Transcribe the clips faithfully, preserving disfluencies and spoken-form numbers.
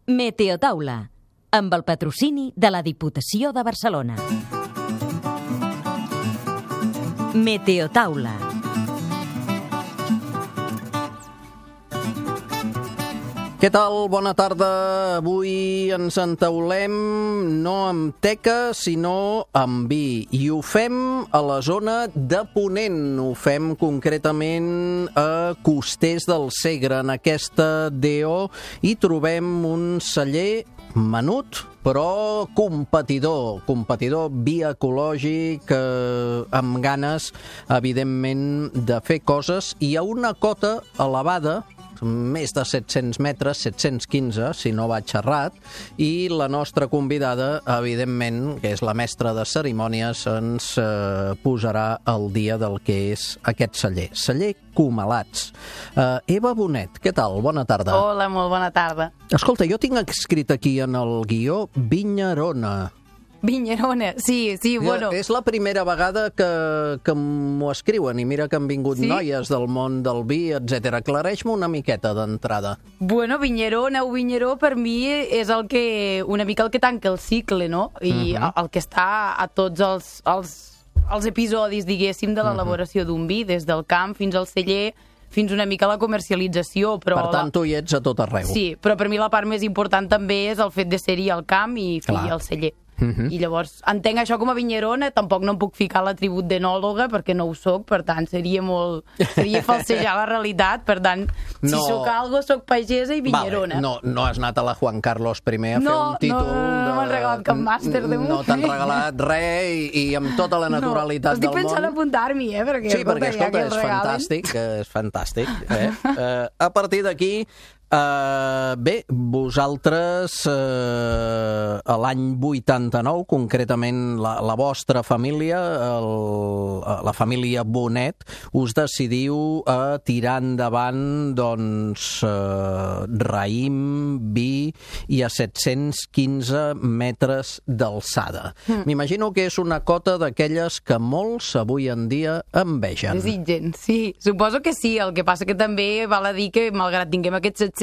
Meteotaula, amb el patrocini de la Diputació de Barcelona. Meteotaula. Què tal? Bona tarda. Avui ens entaulem no amb teca, sinó amb vi. I ho fem a la zona de Ponent. Ho fem concretament a Costers del Segre, en aquesta D O, i trobem un celler menut, però competidor, competidor vi ecològic, eh, amb ganes, evidentment, de fer coses, i a una cota elevada, més de set-cents metres, set-cents quinze, si no vaig errat, i la nostra convidada, evidentment, que és la mestra de cerimònies, ens eh, posarà al dia del que és aquest celler. Celler Comalats. Uh, Eva Bonet, què tal? Bona tarda. Hola, molt bona tarda. Escolta, jo tinc escrit aquí en el guió Vinyarona. Vinyarona, sí, sí, bueno. És la primera vegada que, que m'ho escriuen, i mira que han vingut sí? noies del món del vi, etcètera. Aclareix-me una miqueta d'entrada. Bueno, Vinyarona o Vinyaró per mi és el que, una mica el que tanca el cicle, no? I uh-huh. el que està a tots els, els, els episodis, diguéssim, de l'elaboració uh-huh. d'un vi, des del camp fins al celler, fins una mica a la comercialització. Però per tant, la... tu hi ets a tot arreu. Sí, però per mi la part més important també és el fet de ser-hi al camp i fer al celler. Uh-huh. I llavors entenc això com a vinyerona, tampoc no em puc ficar l'atribut d'enòloga perquè no ho soc, per tant seria molt seria falsejar la realitat, per tant si no. soc algo, soc pagesa i vinyerona. Vale. No, no has anat a la Juan Carlos primer a no, fer un títol. No, no, no m'han regalat cap màster de moment. No t'han regalat res i, i amb tota la naturalitat no, del món. Estic pensant apuntar-m'hi, eh? Perquè, sí, perquè, escolta, és fantàstic, és fantàstic. Eh? Uh, a partir d'aquí, Uh, bé, vosaltres uh, a l'any vuitanta-nou, concretament la, la vostra família, el, la família Bonet, us decidiu a tirar endavant doncs uh, raïm, vi i a set-cents quinze metres d'alçada. Mm. M'imagino que és una cota d'aquelles que molts avui en dia envegen. Desitgen, sí, suposo que sí. El que passa que també val a dir que malgrat tinguem aquests set-cents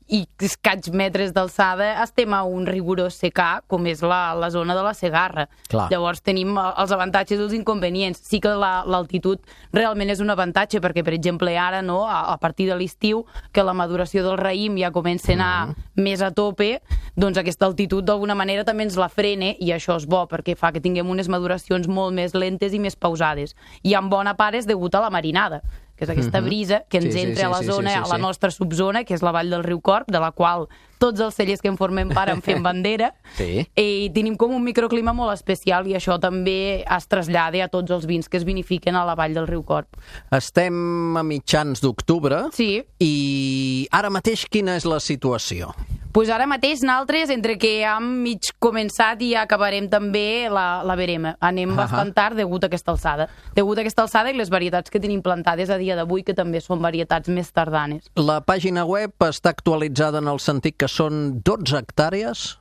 i escaig metres d'alçada, estem a un rigorós secà, com és la, la zona de la Segarra. Clar. Llavors tenim els avantatges i els inconvenients. Sí que la, l'altitud realment és un avantatge, perquè, per exemple, ara, no, a, a partir de l'estiu, que la maduració del raïm ja comença a anar mm. més a tope, doncs aquesta altitud d'alguna manera també ens la frena, i això és bo, perquè fa que tinguem unes maduracions molt més lentes i més pausades. I en bona part és degut a la marinada, que és aquesta brisa que ens sí, entra sí, sí, a la zona, sí, sí, sí, a la nostra subzona, que és la vall del riu Corb, de la qual tots els cellers que en formem part en fem bandera, sí. I tenim com un microclima molt especial, i això també es trasllada a tots els vins que es vinifiquen a la vall del riu Corb. Estem a mitjans d'octubre, sí. I ara mateix quina és la situació? Pues ara mateix nosaltres, entre que hem mig començat i acabarem també la, la verema. Anem uh-huh. bastant tard degut a aquesta alçada. Degut a aquesta alçada i les varietats que tenim plantades a dia d'avui, que també són varietats més tardanes. La pàgina web està actualitzada en el sentit que són dotze hectàrees?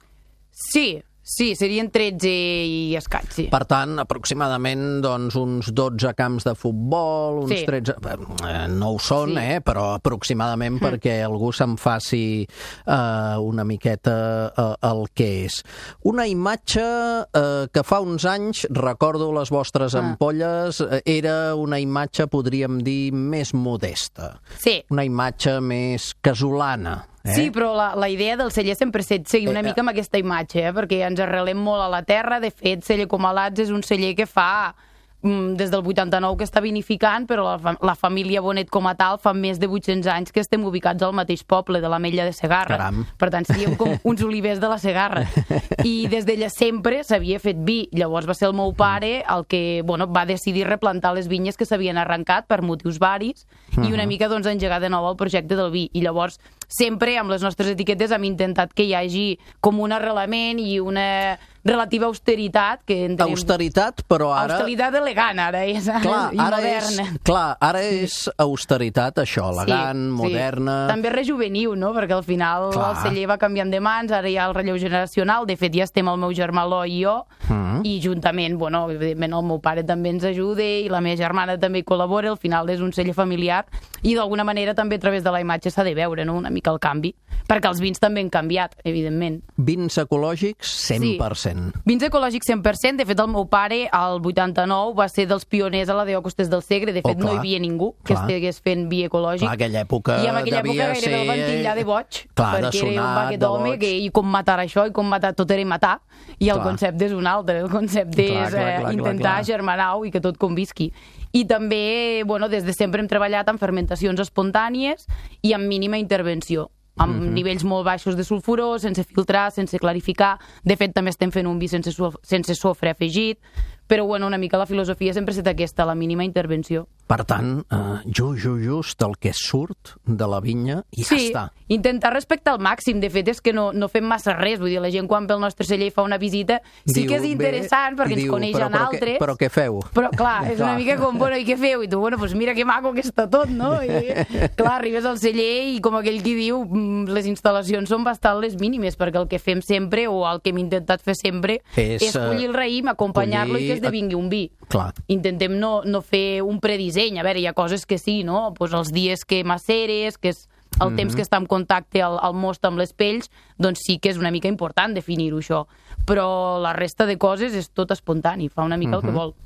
Sí. Sí, serien tretze i escaig, sí. Per tant, aproximadament doncs, uns dotze camps de futbol, uns sí. tretze... Eh, no ho són, sí. eh, però aproximadament mm. perquè algú se'n faci eh, una miqueta eh, el que és. Una imatge eh, que fa uns anys, recordo les vostres ah. ampolles, era una imatge, podríem dir, més modesta. Sí. Una imatge més casolana. Eh? Sí, però la, la idea del celler sempre és seguir una mica amb aquesta imatge, eh? Perquè ens arrelem molt a la terra. De fet, Celler Comalats és un celler que fa des del vuitanta-nou que està vinificant, però la, la família Bonet com a tal fa més de vuit-cents anys que estem ubicats al mateix poble, de l'Ametlla de Segarra. Caram. Per tant, seríem com uns olivers de la Segarra. I des d'ella sempre s'havia fet vi. Llavors va ser el meu pare el que bueno, va decidir replantar les vinyes que s'havien arrencat per motius varis i una mica doncs, engegar de nou el projecte del vi. I llavors sempre amb les nostres etiquetes hem intentat que hi hagi com un arrelament i una relativa austeritat. Que entenem... Austeritat, però ara... Austeritat elegant, ara és, clar, i ara moderna. És, clar, ara és austeritat, això, elegant, sí, moderna... Sí. També rejuveniu, no?, perquè al final clar. El celler va canviant de mans, ara hi ha el relleu generacional, de fet ja estem el meu germà Eloi i jo, mm. i juntament, bueno, evidentment el meu pare també ens ajuda i la meva germana també col·labora, al final és un celler familiar, i d'alguna manera també a través de la imatge s'ha de veure, no?, una mica el canvi, perquè els vins també han canviat, evidentment. Vins ecològics, cent per cent. Sí. Vins ecològics cent per cent, de fet el meu pare al vuitanta-nou va ser dels pioners a la Déu Costés del Segre, de fet oh, no hi havia ningú que clar. Estigués fent vi ecològic. Clar, aquella època I en aquella època gairebé ser... el van titllar de boig, clar, perquè de sonat, era un baquet home que i com matar això i com matar tot era matar, i el clar. Concepte és un altre, el concepte clar, és clar, clar, eh, intentar germanar-ho i que tot convisqui. I també, bueno, des de sempre hem treballat amb fermentacions espontànies i amb mínima intervenció, amb mm-hmm. nivells molt baixos de sulfuró, sense filtrar, sense clarificar. De fet, també estem fent un vi sense, sense sofre afegit, però bueno, una mica la filosofia sempre ha estat aquesta, la mínima intervenció. Per tant, uh, just, just, just el que surt de la vinya i ja sí, està. Intentar respectar al màxim. De fet, és que no, no fem massa res. Vull dir, la gent quan ve al nostre celler i fa una visita sí diu, que és interessant bé, perquè ens diu, coneixen però, però altres. Què, però què feu? Però clar, és clar. Una mica com, bueno, i què feu? I tu, bueno, doncs mira que maco que està tot, no? I, clar, arribes al celler i com aquell qui diu, les instal·lacions són bastant les mínimes, perquè el que fem sempre, o el que hem intentat fer sempre, és, és collir el raïm, acompanyar-lo collir... i que esdevingui un vi. Clar. Intentem no, no fer un predisseny. A veure, hi ha coses que sí, no? Pues els dies que maceres, que és el mm-hmm. temps que està en contacte al, al most amb les pells, doncs sí que és una mica important definir-ho, això. Però la resta de coses és tot espontani, fa una mica mm-hmm. el que vol.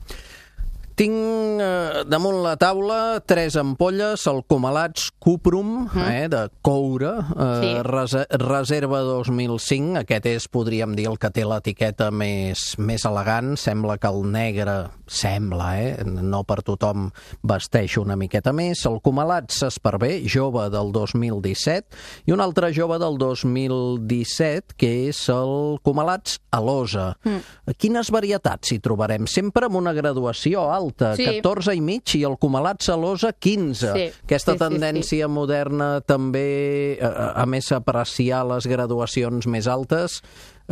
Tinc eh, damunt la taula tres ampolles, el Comalats Cuprum, mm. eh, de coure, eh, sí. res reserva dos mil cinc, aquest és, podríem dir, el que té l'etiqueta més, més elegant, sembla que el negre, sembla, eh, no per tothom vesteix una miqueta més, el Comalats Esparver, jove del dos mil disset, i un altre jove del dos mil disset, que és el Comalats Alosa. Mm. Quines varietats hi trobarem? Sempre amb una graduació alta, sí. catorze i mig, i el Comalats Alosa quinze. Sí. Aquesta sí, tendència sí, sí. moderna també, a, a més apreciar les graduacions més altes,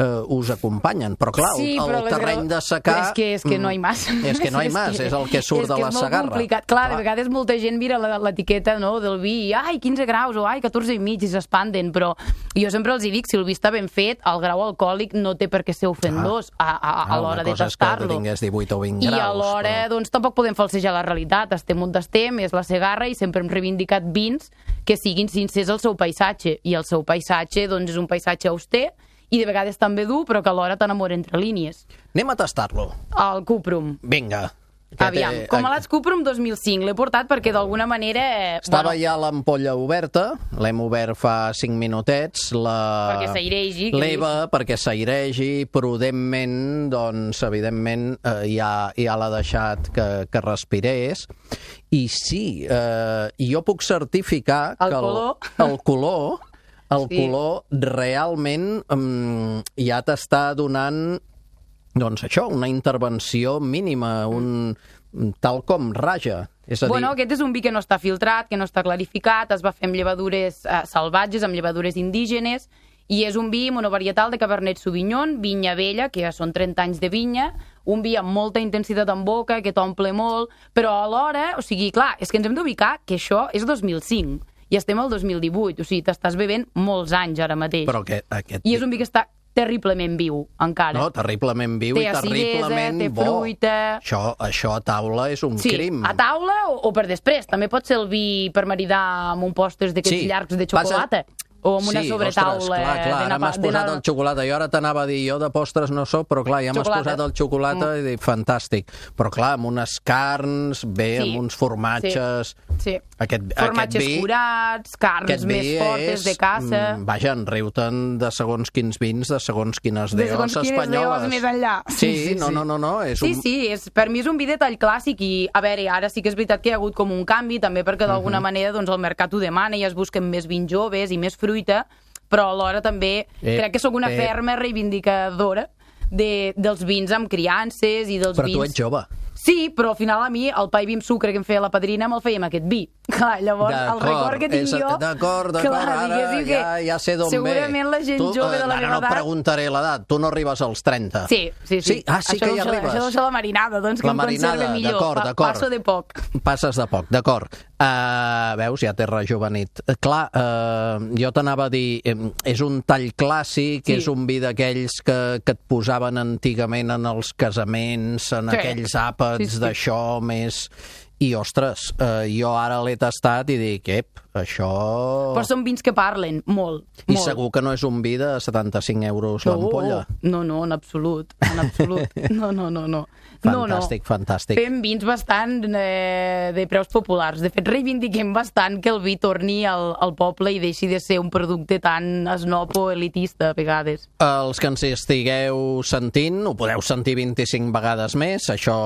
Uh, us acompanyen, però clar, sí, el, el terreny de secar... És que, és que no hi mas. És que no hi mas, és, que, és el que surt que de la segarra. Complicat. Clar, clar, de vegades molta gent mira l'etiqueta no, del vi, i ai, quinze graus, o ai, catorze i mig, i s'espanten, però jo sempre els hi dic, si el vi està ben fet, el grau alcohòlic no té per què ser ofendós a, a, a, a l'hora de tastar-lo. Una cosa és que tingués divuit o vint graus. I alhora, però... doncs, tampoc podem falsejar la realitat. Estem on estem, és la segarra, i sempre hem reivindicat vins que siguin sincers al seu paisatge, i el seu paisatge, doncs, és un paisatge auster, i de vegades també dur, però que alhora t'enamora entre línies. Anem a tastar-lo. El Cuprum. Vinga. Aviam, té... Comalats Cuprum dos mil cinc. L'he portat perquè d'alguna manera... Estava bueno, ja l'ampolla oberta, l'hem obert fa cinc minutets. La... Perquè s'airegi. L'Eva, perquè s'airegi, prudentment, doncs, evidentment, eh, ja, ja l'ha deixat que, que respirés. I sí, eh, jo puc certificar el que el color... el color... El sí. color realment um, ja t'està donant, doncs això, una intervenció mínima, un, tal com raja. És a dir... Bueno, aquest és un vi que no està filtrat, que no està clarificat, es va fer amb llevadures eh, salvatges, amb llevadures indígenes, i és un vi monovarietal de Cabernet Sauvignon, vinya vella, que ja són trenta anys de vinya, un vi amb molta intensitat en boca, que t'omple molt, però alhora, o sigui, clar, és que ens hem d'ubicar que això és dos mil cinc. I estem al dos mil divuit, o sigui, t'estàs bevent molts anys ara mateix. Però que, aquest... I és un vi que està terriblement viu, encara. No, terriblement viu té i terriblement té bo. Fruita... Això, això a taula és un sí, crim. A taula o, o per després. També pot ser el vi per maridar amb un postres d'aquests sí, llargs de xocolata. Passa... O amb una sí, sobretaula... Ostres, clar, clar, ara m'has posat el xocolata. Jo ara t'anava a dir, jo de postres no soc, però clar, ja m'has posat el xocolata mm. i dic, fantàstic. Però clar, amb unes carns, bé, sí, amb uns formatges... Sí, sí. Aquest, formatges aquest vi, curats, carns més fortes és, de caça... Mm, vaja, en riu-te'n de segons quins vins, de segons quines deos espanyoles. De segons quines deos més enllà. Sí, sí, sí, no, no, no, no. És sí, un... sí, és, per mi és un vi de tall clàssic i, a veure, ara sí que és veritat que hi ha hagut com un canvi, també perquè d'alguna uh -huh. manera doncs, el mercat ho demana i es busquen més vins joves i més fruita, però alhora també eh, crec que sóc una eh. ferma reivindicadora de, dels vins amb criances i dels però vins... Però tu ets jove. Sí, però al final a mi el pa i vi amb sucre que em feia la padrina me'l feia amb aquest vi. Clar, llavors el record que tinc jo... D'acord, d'acord, ara ja, ja sé d'on ve. Segurament la gent tu, jove de la ara meva no edat... preguntaré l'edat, tu no arribes als trenta. Sí, sí, sí. sí? Ah, sí això que hi això, arribes. Això deu ser la marinada, doncs, que la em conserva millor. D'acord, d'acord. Passo de poc. Passes de poc, d'acord. Uh, veus, ja t'he rejuvenit. Uh, clar, uh, jo t'anava a dir, eh, és un tall clàssic, sí. És un vi d'aquells que, que et posaven antigament en els casaments, en sí. aquells àpats sí, sí. d'això més... I, ostres, eh, jo ara l'he tastat i dic, ep, això... Però són vins que parlen, molt, I molt. segur que no és un vi de setanta-cinc euros no, l'ampolla. No, no, en absolut, en absolut. No, no, no, no. Fantàstic, no, no. fantàstic. Fem vins bastant eh, de preus populars. De fet, reivindiquem bastant que el vi torni al, al poble i deixi de ser un producte tan esnob o elitista, a vegades. Els que ens estigueu sentint, ho podeu sentir vint-i-cinc vegades més. Això,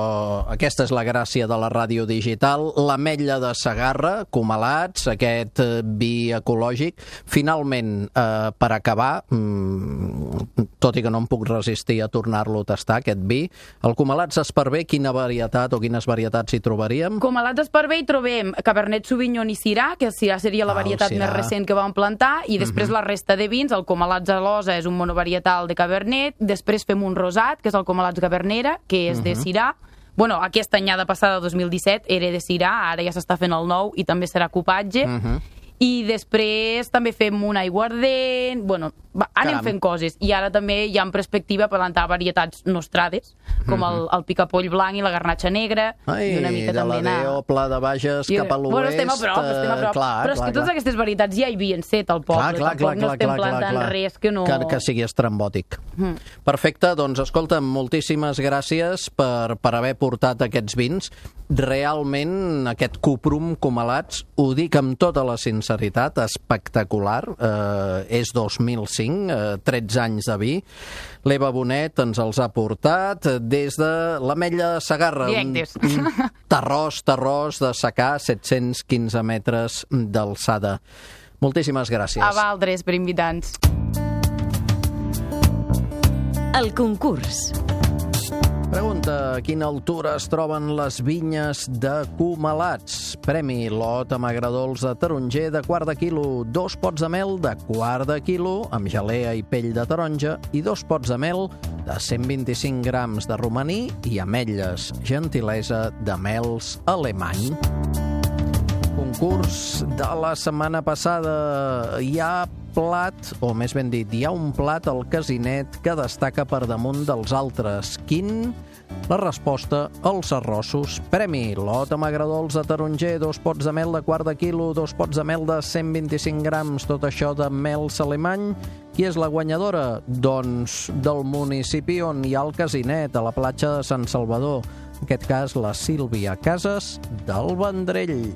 aquesta és la gràcia de la ràdio digital. L'Ametlla de Segarra, Comalats, aquest vi ecològic. Finalment, eh, per acabar, mmm, tot i que no em puc resistir a tornar-lo a tastar, aquest vi, el Comalats Esparver, quina varietat o quines varietats hi trobaríem? Comalats Esparver hi trobem Cabernet Sauvignon i Syrah, que el Syrah seria la ah, varietat més recent que vam plantar, i després uh-huh. la resta de vins, el Comalats Alosa és un monovarietal de Cabernet, després fem un rosat, que és el Comalats Gavernera, que és uh-huh. de Syrah. Bueno, aquesta anyada passada, dos mil disset, era de Syrah, ara ja s'està fent el nou i també serà cupatge. Uh-huh. I després també fem un aiguardent, bueno, va, anem Caram. fent coses. I ara també hi ha en perspectiva plantar varietats nostrades, com mm-hmm. el, el picapoll blanc i la garnatxa negra. Ai, i una mica de també la Déu, Pla de Bages, I, cap a l'oest... Bueno, estem a prop, estem a prop. Clar, però és clar, que totes clar. aquestes varietats ja hi havien set al poble. Clar, clar, Tampoc clar, no estem clar, plantant clar, clar. res que no... Que, que sigui estrambòtic. Mm. Perfecte, doncs escolta, moltíssimes gràcies per, per haver portat aquests vins. Realment, aquest Cuprum Comalats, ho dic amb tota la sinceritat, espectacular. Eh, és dos mil cinc, eh, tretze anys de vi. L'Eva Bonet ens els ha portat des de l'Ametlla de Segarra. Directes. Un, un terrós, terrós de secà, set-cents quinze metres d'alçada. Moltíssimes gràcies. A Valdres, per invitar-nos. El concurs. Pregunta, a quina altura es troben les vinyes de Comalats? Premi lot amb agradols de taronger de quart de quilo, dos pots de mel de quart de quilo amb gelea i pell de taronja i dos pots de mel de cent vint-i-cinc grams de romaní i ametlles, gentilesa de mels alemany. Concurs de la setmana passada. Hi ha plat, o més ben dit, hi ha un plat al casinet que destaca per damunt dels altres. Quin? La resposta, els arrossos. Premi, lot amb agradols de taronger, dos pots de mel de quart de quilo, dos pots de mel de cent vint-i-cinc grams, tot això de mels alemany. Qui és la guanyadora? Doncs del municipi on hi ha el casinet, a la platja de Sant Salvador. En aquest cas, la Sílvia Casas del Vendrell.